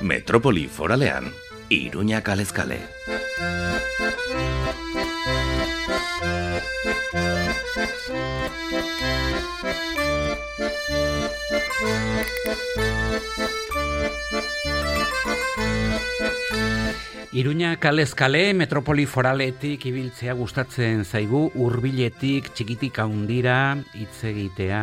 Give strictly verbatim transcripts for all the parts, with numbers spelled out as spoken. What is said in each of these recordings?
Metropoli foralean, Iruña kalez kale. Iruña kalez kale, metropoli foraletik ibiltzea gustatzen zaigu, hurbiletik txikitik handira hitz egitea.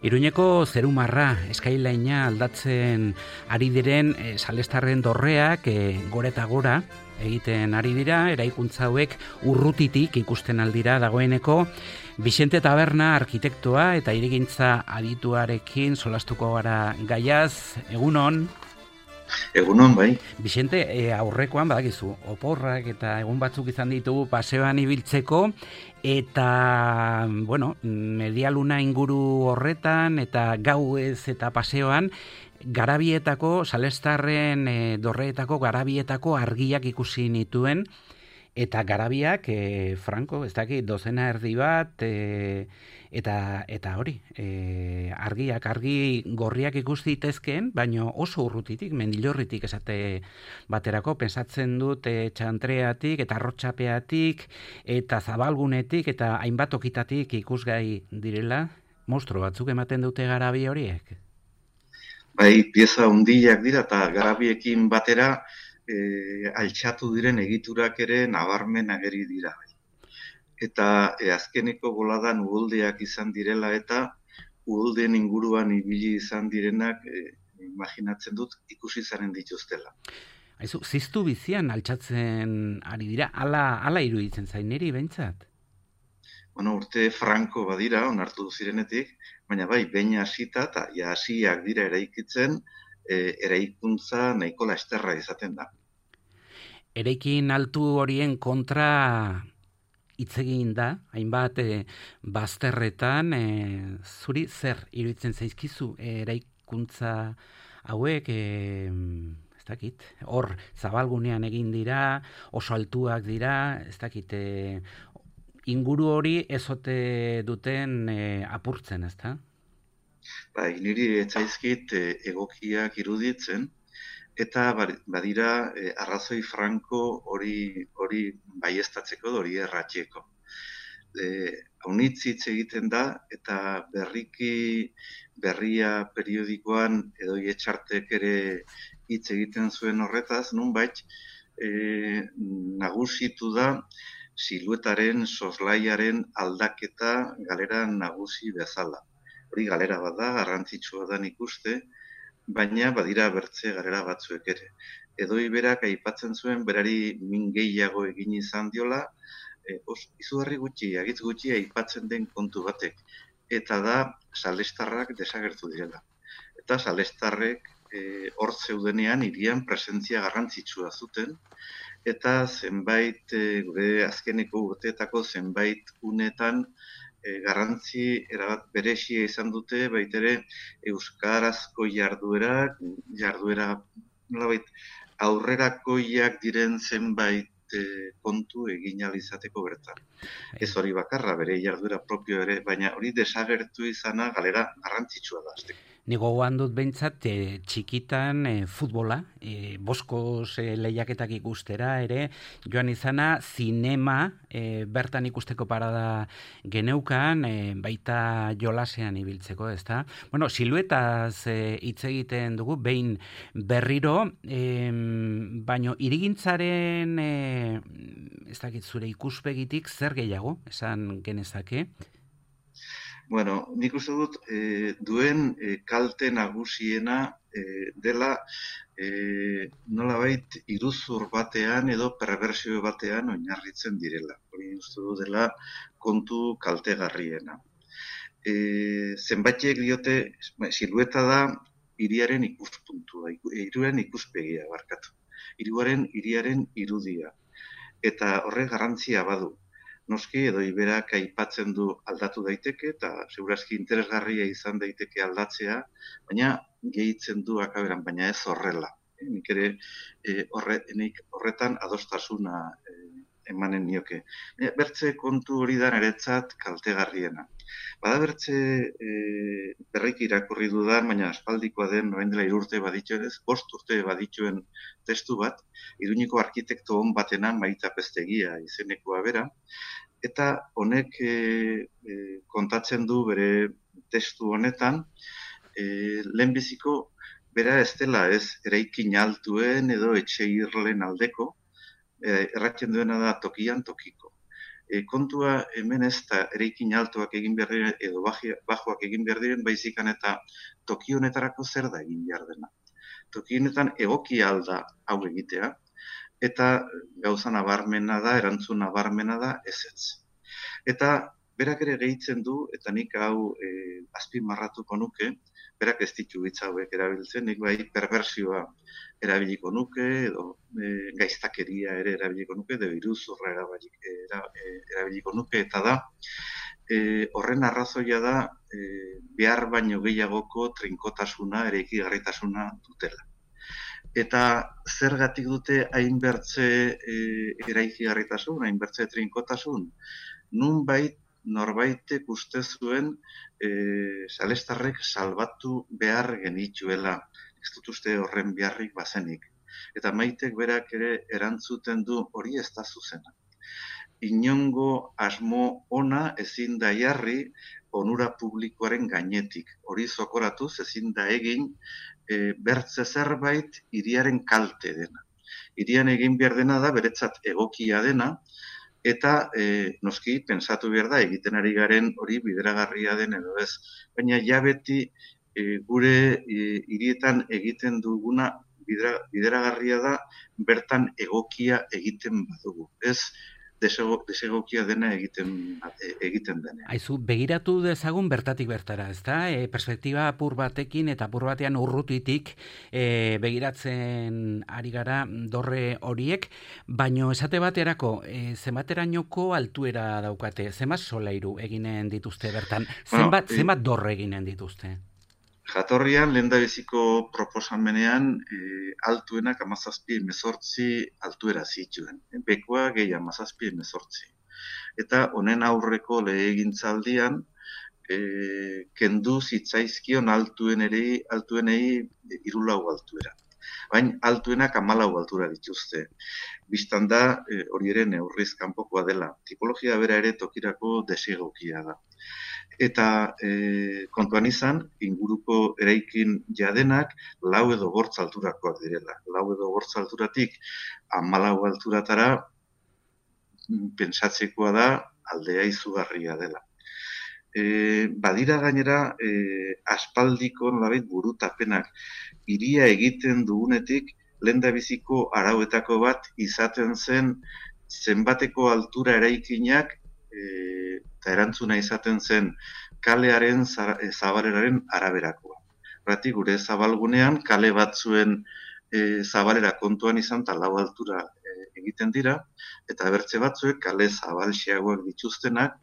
Iruñeko zerumarra, eskailaina aldatzen ari diren e, salestarren dorreak e, gora eta gora egiten ari dira, eraikuntza hauek urrutitik ikusten aldira dagoeneko. Bixente Taberna arkitektoa eta hirigintza adituarekin solastuko gara gaiaz, egunon. Egunon, bai. Bixente, e, aurrekoan badakizu, oporrak eta egun batzuk izan ditugu paseoan ibiltzeko, eta, bueno, medialuna inguru horretan, eta gauez eta paseoan, garabietako, salestarren e, dorreetako garabietako argiak ikusi nituen, eta garabiak, e, franko, ez dakit, dozena erdi bat, e, eta eta hori, e, argiak, argi gorriak ikus ditezkeen, baino oso urrutitik, mendilorritik esate baterako, pensatzen dut e, txantreatik, eta arrotxapeatik, eta zabalgunetik, eta hainbat okitatik ikusgai direla, monstro batzuk ematen dute garabi horiek? Bai, pieza hundiak dira, eta garabiekin batera, E, altxatu diren egiturak ere nabarmen ageri dira. Eta e, azkeneko boladan uholdeak izan direla eta uholdeen inguruan ibili izan direnak e, imaginatzen dut ikusi zaren dituztela. Aizu, ziztu bizian altxatzen ari dira, ala, ala iruditzen zain niri behintzat? Bueno, urte franko badira, onartu zirenetik, baina bai, behin hasita eta ja hasiak dira eraikitzen, E, eraikuntza nahiko lasterra izaten da. Eraikin altu horien kontra hitz egin da, hainbat e, bazterretan, e, zuri zer iruditzen zaizkizu e, eraikuntza hauek, e, ez dakit, hor zabalgunean egin dira, oso altuak dira, ez dakit, e, inguru hori ezote duten e, apurtzen, ez da? Bai, niri etzaizkit e, egokiak iruditzen, eta badira e, arrazoi franko hori hori baieztatzeko, hori erratxeko. E, Haunitz hitz egiten da, eta berriki berria periodikoan edo etxartek ere hitz egiten zuen horretaz, nunbait e, nagusitu da siluetaren, soslaiaren aldaketa galera nagusi bezala. Hori galera bat da, garrantzitsua da ikuste, baina badira bertze galera batzuek ere. Edo iberak aipatzen zuen, berari min gehiago egin izan diola, e, os, izugarri gutxi, agitz gutxi aipatzen den kontu batek. Eta da, salestarrak desagertu direla. Eta salestarrek e, hor zeudenean hirian presentzia garrantzitsua zuten, eta zenbait, e, gure azkeneko urteetako zenbait unetan, E, garrantzi erabat beresia izan dute, baitere euskarazko jarduerak, jarduera nolabait aurrerakoiak diren zenbait e, kontu egin ahal izateko bertan. Ez hori bakarra, bere jarduera propio ere, baina hori desagertu izana galera garrantzitsua da. Ni gogoan dut behintzat e, txikitan e, futbola, e, boskoz e, lehiaketak ikustera ere, joan izana zinema e, bertan ikusteko parada geneukan, e, baita jolasean ibiltzeko, ezta? Bueno, siluetaz e, hitz egiten dugu, behin berriro, e, baino irigintzaren, e, ez dakit zure ikuspegitik, zer gehiago, esan genezake? Bueno, nik uste dut e, duen e, kalte nagusiena e, dela e, nolabait iruzur batean edo perversio batean oinarritzen direla. Hori uste dut dela kontu kaltegarriena. E, zenbaitek diote, silueta da hiriaren ikuspuntua, hiriaren ikuspegia barkatu. Hiriaren hiriaren irudia. Eta horrek garrantzia badu. Noski edo iberak aipatzen du aldatu daiteke eta segurazki interesgarria izan daiteke aldatzea, baina gehitzen du akaberan, baina ez horrela. E, nik ere e, horre, nik horretan adostasuna e, emanen nioke. E, bertze kontu hori da niretzat kaltegarriena. Bada bertze e, berriki irakurri dudan, baina aspaldikoa den, orain dela hiru urte badituen ez, bost urte badituen testu bat, Iruñeko arkitekto on batena Maita Peztegia izenekoa bera, eta honek e, e, kontatzen du bere testu honetan, e, lehenbiziko bera ez dela ez eraikin altuen edo etxe irlen aldeko, e, erratzen duena da tokian tokiko. E, kontua hemen ez da eraikin altuak egin behar diren edo bajoak egin behar diren, baizikan eta toki honetarako zer da egin behar dena. Toki honetan egokia alda hau egitea, eta gauza nabarmena da, erantzun nabarmena da ezetz. Eta berak ere gehitzen du, eta nik hau e, azpimarratuko nuke, berak ez ditu hitz hauek erabiltzen, nik bai perversioa erabiliko nuke, edo e, gaiztakeria ere erabiliko nuke, edo iruzurra erabiliko nuke, eta da, e, horren arrazoia da, e, behar baino gehiagoko trinkotasuna, eraikigarritasuna dutela. Eta zergatik dute hainbertze e, eraikigarritasun, hainbertze trinkotasun, nunbait norbaitek uste zuen e, salestarrek salbatu behar genituela. Ez dut uste horren beharrik bazenik. Eta Maitek berak ere erantzuten du hori ez da zuzena. Inongo asmo ona ezin da jarri onura publikoaren gainetik. Hori zokoratuz ezin da egin e, bertze zerbait hiriaren kalte dena. Hirian egin behar dena da beretzat egokia dena, eta e, noski pentsatu behar da egiten ari garen hori bideragarria den edo ez. Baina ja beti e, gure e, hirietan egiten duguna bidera, bideragarria da bertan egokia egiten badugu. Ez desego, desegokia dena egiten, e, egiten dena. Aizu, begiratu dezagun bertatik bertara, ezta? E, perspektiba apur batekin eta apur batean urrutitik e, begiratzen ari gara dorre horiek, baino esate baterako e, zenbaterainoko altuera daukate, zenbat solairu eginen dituzte bertan, zenbat, bueno, zenbat dorre eginen dituzte? Jatorrian, lehendabiziko proposamenean, e, altuenak hamazazpi hemezortzi altuera zituen. Bekoa gehi hamazazpi hemezortzi. Eta honen aurreko legegintzaldian, e, kendu zitzaizkion altuenei, altuenei hirulau altuera. Baina altuenak hamalau altura dituzte. Bistan da, e, hori ere neurriz kanpokoa dela. Tipologia bera ere tokirako desegokia da. Eta e, kontuan izan, inguruko eraikin jadenak lau edo bortz alturakoak direla. Lau edo bortz alturatik hamalau alturatara pentsatzekoa da aldea izugarria dela. E, badira gainera e, aspaldiko nolabait burutapenak hiria egiten dugunetik lehendabiziko arauetako bat izaten zen zenbateko altura eraikinak e, eta erantzuna izaten zen kalearen zabaleraren araberakoa. Horregatik, gure zabalgunean kale batzuen e, zabalera kontuan izan eta lau altura e, egiten dira, eta bertze batzuek kale zabalxeagoak dituztenak,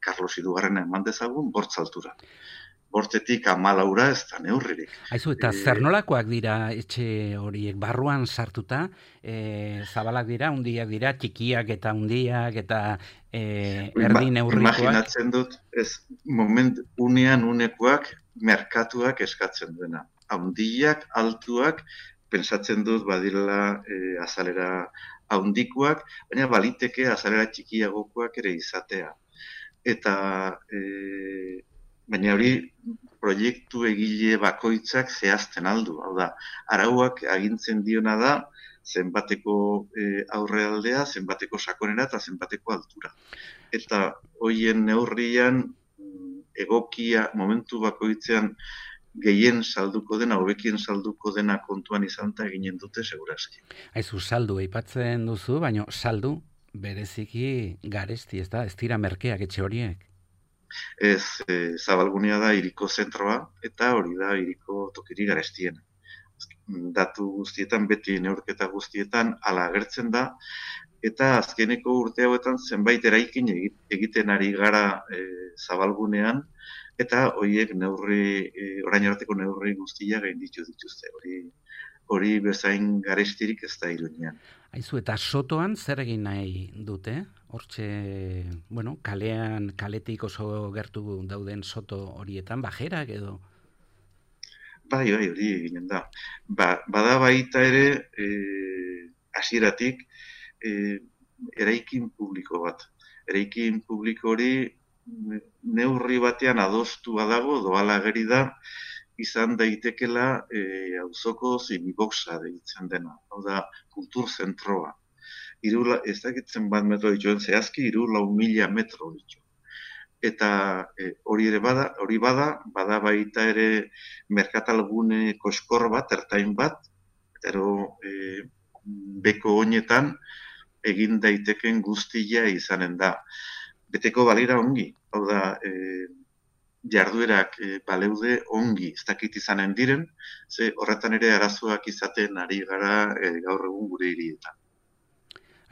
Carlos hirugarrena eman dezagun, bortz altura. Bortzetik hamalaura ez da neurririk. Aizu, eta e, zer nolakoak dira etxe horiek barruan sartuta, e, zabalak dira, hundiak dira, txikiak eta hundiak eta e, erdi neurrikoak? Imaginatzen dut, ez moment unean unekoak merkatuak eskatzen duena. Hundiak, altuak, pensatzen dut badirela e, azalera handikoak, baina baliteke azalera txikiagokoak ere izatea. Eta e, baina hori proiektu egile bakoitzak zehazten aldu. Hau da, arauak agintzen diona da zenbateko e, aurrealdea, zenbateko sakonera eta zenbateko altura. Eta hoien neurrian egokia momentu bakoitzean gehien salduko dena, hobekien salduko dena kontuan izan eta eginen dute segurazki. Aizu, saldu aipatzen duzu, baina saldu bereziki garesti, ez da, ez dira merkeak etxe horiek. Ez, e, zabalgunea da hiriko zentroa, eta hori da hiriko tokiri garestiena. Datu guztietan, beti neurketa guztietan, hala agertzen da, eta azkeneko urte hauetan zenbait eraikin egiten ari gara e, zabalgunean, eta horiek neurri, e, orain arteko neurri guztia gainditu dituzte. Hori hori bezain garestirik ez da Iruñean. Aizu, eta sotoan zer egin nahi dute? Hortxe, bueno, kalean, kaletik oso gertu dauden soto horietan, bajerak edo? Bai, bai, hori eginen da. Ba, bada baita ere, e, hasieratik, e, eraikin publiko bat. Eraikin publiko hori neurri batean adostua dago, doala ageri da, izan daitekela e, auzoko ziniboxa deitzen dena. Hau da, kultur zentroa. Iru, ez dakitzen bat metro dituen zehazki, iru lau mila metro ditu. Eta e, hori ere bada, hori bada, bada baita ere merkatalgune koskor bat, ertain bat, ero e, beko honetan egin daiteken guztia izanen da. Beteko balira ongi, hau da, e, jarduerak e, baleude ongi ez dakit izanen diren, ze horretan ere arazoak izaten ari gara e, gaur egun gure hirietan.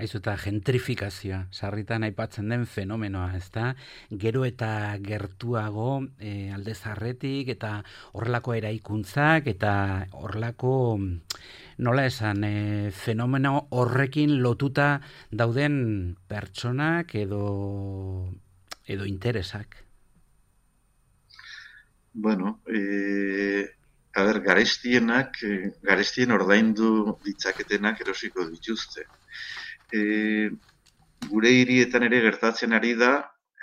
Aizu, eta gentrifikazioa, sarritan aipatzen den fenomenoa, ez da? Gero eta gertuago e, alde zarretik eta horrelako eraikuntzak eta horrelako, nola esan, e, fenomeno horrekin lotuta dauden pertsonak edo, edo interesak. Bueno, e, a ber, garestienak, e, garestien ordaindu ditzaketenak erosiko dituzte. E, gure hirietan ere gertatzen ari da,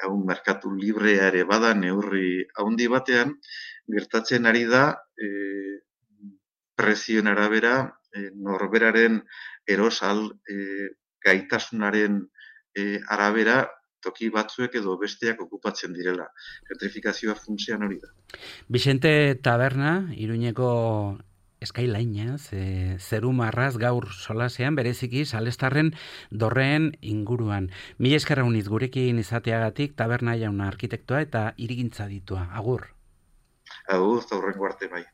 hau merkatu librea ere bada neurri haundi batean, gertatzen ari da e, prezioen arabera e, norberaren erosal e, gaitasunaren e, arabera toki batzuek edo besteak okupatzen direla. Gentrifikazioa funtsean hori da. Vicente Taberna, Iruñeko Skyline, ze, zeru marraz gaur solasean, bereziki Salestarren dorreen inguruan. Mila eskerra uniz gurekin izateagatik, Taberna jauna arkitektoa eta hirigintza ditua. Agur. Agur, eta hurrengo arte bai.